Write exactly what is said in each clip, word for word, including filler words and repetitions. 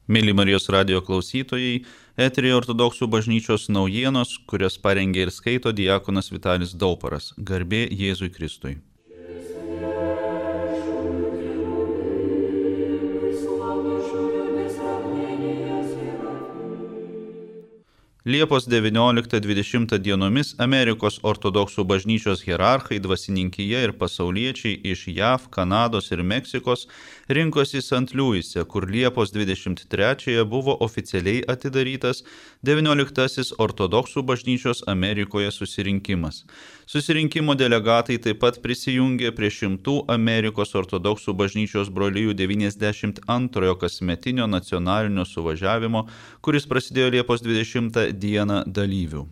Mėly Marijos radijo klausytojai, eteryje Ortodoksų bažnyčios naujienos, kurias parengė ir skaito diakonas Vitalis Dauparas. Garbė Jėzui Kristui. Liepos devynioliktą dvidešimtą dienomis Amerikos ortodoksų bažnyčios hierarchai, dvasininkija ir pasauliečiai iš J A V, Kanados ir Meksikos rinkosi Sant Liuise, kur Liepos dvidešimt trečiąją buvo oficialiai atidarytas devynioliktasis ortodoksų bažnyčios Amerikoje susirinkimas. Susirinkimo delegatai taip pat prisijungė prie šimtų Amerikos ortodoksų bažnyčios brolijų devyniasdešimt antrojo kasmetinio nacionalinio suvažiavimo, kuris prasidėjo Liepos dvidešimtą dieną dalyvių.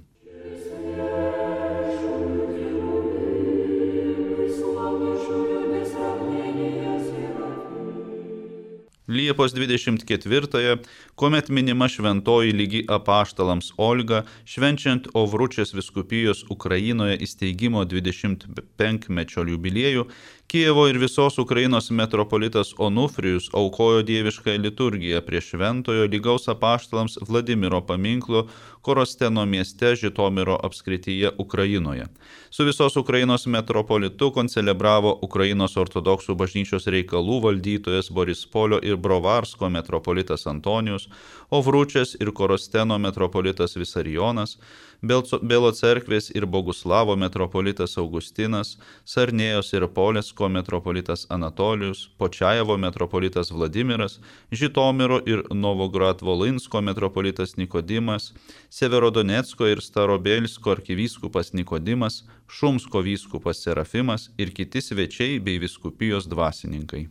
Liepos dvidešimt ketvirtąją, kuomet minima šventoji lygi apaštalams Olga, švenčiant Ovručės vyskupijos Ukrainoje įsteigimo dvidešimt penkmečio jubiliejų, Kijevo ir visos Ukrainos metropolitas Onufrijus aukojo dievišką liturgiją prie šventojo lygaus apaštalams Vladimiro paminklo Korosteno mieste Žitomiro apskrityje Ukrainoje. Su visos Ukrainos metropolitu koncelebravo Ukrainos ortodoksų bažnyčios reikalų valdytojas Borispolio ir Brovarsko metropolitas Antonijus, Ovručės ir Korosteno metropolitas Visarijonas, Belo cerkvės ir Boguslavo metropolitas Augustinas, Sarnėjos ir Polesko metropolitas Anatolijus, Počajevo metropolitas Vladimiras, Žitomiro ir Novograd-Volinsko metropolitas Nikodimas, Severodonecko ir Starobelsko arkivyskupas Nikodimas, Šumsko vyskupas Serafimas ir kiti svečiai bei vyskupijos dvasininkai.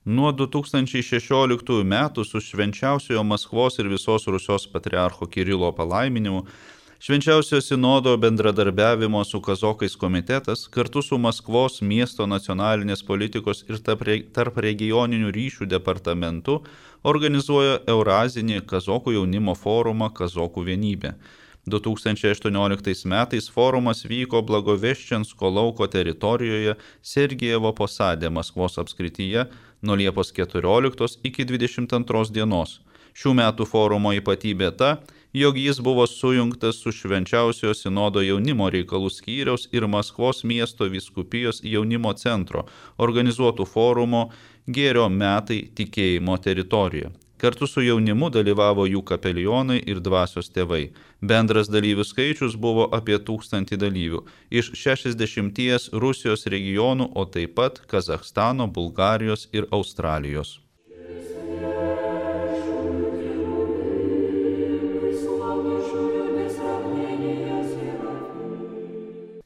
Nuo du tūkstančiai šešioliktųjų metų su švenčiausiojo Maskvos ir visos Rusios patriarcho Kirilo palaiminimu Švenčiausiojo sinodo bendradarbiavimo su kazokais komitetas kartu su Maskvos miesto nacionalinės politikos ir tarp regioninių ryšių departamentu organizuoja Eurazinį kazokų jaunimo forumą Kazokų vienybė. du tūkstančiai aštuonioliktais metais forumas vyko Blagoveščensko lauko teritorijoje Sergejevo posade Maskvos apskrityje nuo Liepos keturioliktos iki dvidešimt antros dienos. Šių metų forumo ypatybė ta, jog jis buvo sujungtas su Švenčiausiojo sinodo jaunimo reikalų skyriaus ir Maskvos miesto vyskupijos jaunimo centro organizuotų forumo Gėrio metai tikėjimo teritorijoje. Kartu su jaunimu dalyvavo jų kapelionai ir dvasios tėvai. Bendras dalyvių skaičius buvo apie tūkstantį dalyvių iš šešiasdešimties Rusijos regionų, o taip pat Kazachstano, Bulgarijos ir Australijos.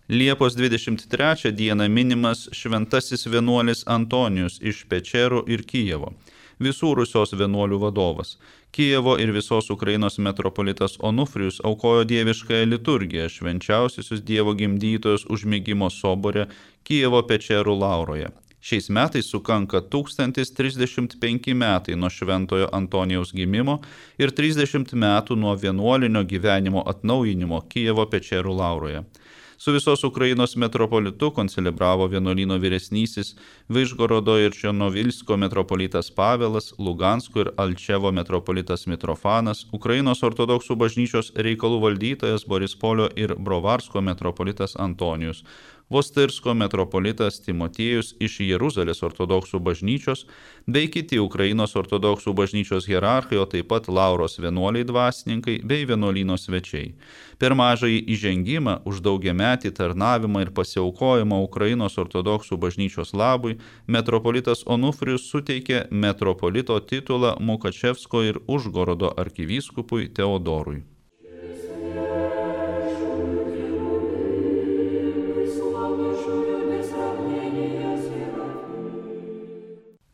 Liepos dvidešimt trečią dieną minimas šventasis vienuolis Antonijus iš Pečerų ir Kijevo, visų Rusios vienuolių vadovas. Kijevo ir visos Ukrainos metropolitas Onufrijus aukojo dieviškąją liturgiją švenčiausiusius Dievo gimdytojus užmigimo sobore Kijevo Pečerų lauroje. Šiais metais sukanka tūkstantis trisdešimt penki metai nuo šventojo Antonijaus gimimo ir trisdešimt metų nuo vienuolinio gyvenimo atnaujinimo Kijevo Pečerų lauroje. Su visos Ukrainos metropolitu koncelebravo vienuolyno vyresnysis Vižgorodo ir Černovilsko metropolitas Pavelas, Lugansko ir Alčevo metropolitas Mitrofanas, Ukrainos ortodoksų bažnyčios reikalų valdytojas Borispolio ir Brovarsko metropolitas Antonijus, Vostirsko metropolitas Timotiejus iš Jeruzalės ortodoksų bažnyčios, bei kiti Ukrainos ortodoksų bažnyčios hierarchai, o taip pat Lauros vienuoliai dvasininkai bei vienuolyno svečiai. Per mažąjį įžengimą už daugiametį tarnavimą ir pasiaukojimą Ukrainos ortodoksų bažnyčios labui, metropolitas Onufrijus suteikė metropolito titulą Mukačevsko ir Užgorodo arkivyskupui Teodorui.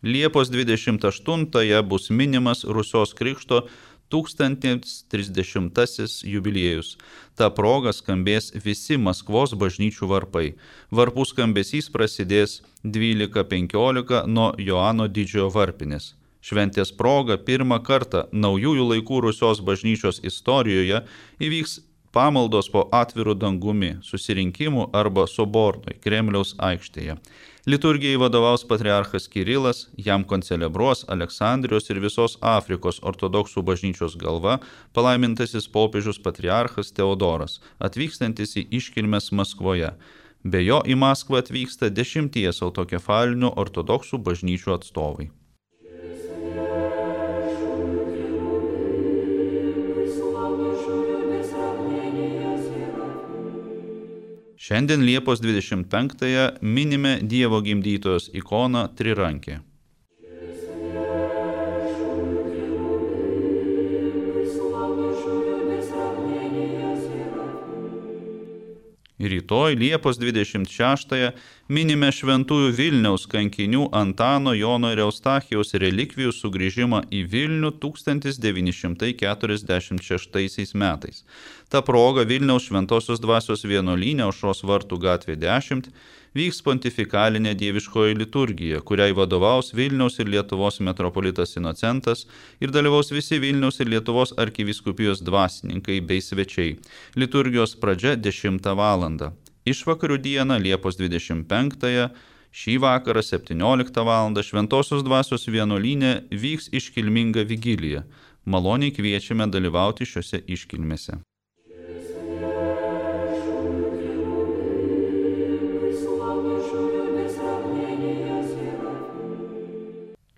Liepos dvidešimt aštuntąją bus minimas Rusios krikšto tūkstantis trisdešimtasis jubiliejus. Ta proga skambės visi Maskvos bažnyčių varpai. Varpų skambesys prasidės dvylika penkiolika nuo Joano Didžiojo varpinės. Šventės proga pirmą kartą naujųjų laikų Rusios bažnyčios istorijoje įvyks pamaldos po atviru dangumi, susirinkimų arba sobornui Kremliaus aikštėje. Liturgijai vadovaus patriarchas Kirilas, jam koncelebruos Aleksandrijos ir visos Afrikos ortodoksų bažnyčios galva, palaimintasis popiežius patriarchas Teodoras, atvykstantis į iškilmes Maskvoje. Be jo į Maskvą atvyksta dešimties autokefalinių ortodoksų bažnyčių atstovai. Šiandien Liepos dvidešimt penktąją minime Dievo gimdytojos ikoną Trirankė. Rytoj Liepos dvidešimt šeštąją minime šventųjų Vilniaus kankinių Antano, Jono ir Eustachijaus relikvijų sugrįžimą į Vilnių tūkstantis devyni šimtai keturiasdešimt šeštaisiais metais. Ta proga Vilniaus Šventosios dvasios vienuolyne Aušros vartų gatvė dešimt vyks pontifikalinė dieviškoji liturgija, kuriai vadovaus Vilniaus ir Lietuvos metropolitas Inocentas ir dalyvaus visi Vilniaus ir Lietuvos arkivyskupijos dvasininkai bei svečiai. Liturgijos pradžia dešimtą valandą. Išvakarių dieną Liepos dvidešimt penktąją šį vakarą septynioliktą valandą Šventosios dvasios vienuolyne vyks iškilminga vigilija. Maloniai kviečiame dalyvauti šiose iškilmėse.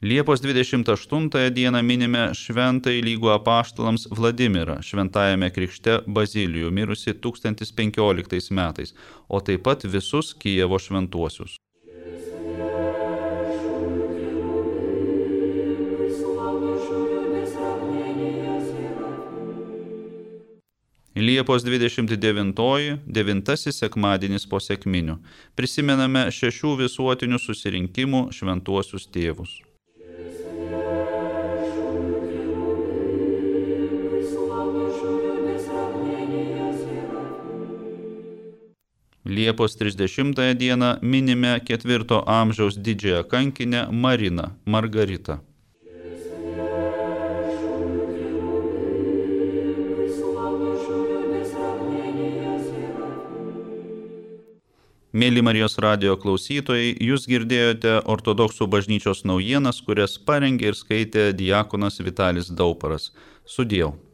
Liepos dvidešimt aštuntąją dieną minime šventąjį lygų apaštalams Vladimirą, šventajame krikšte Bazilijų, mirusi tūkstantis penkioliktais metais, o taip pat visus Kijevo šventuosius. Liepos dvidešimt devintoji, devintasis sekmadienis po sekminių. Prisimename šešių visuotinių susirinkimų šventuosius tėvus. Liepos trisdešimtąją dieną minime ketvirto amžiaus didžiąją kankinę Mariną Margaritą. Mėly Marijos radijo klausytojai, jūs girdėjote ortodoksų bažnyčios naujienas, kurias parengė ir skaitė diakonas Vitalis Dauparas. Sudiev.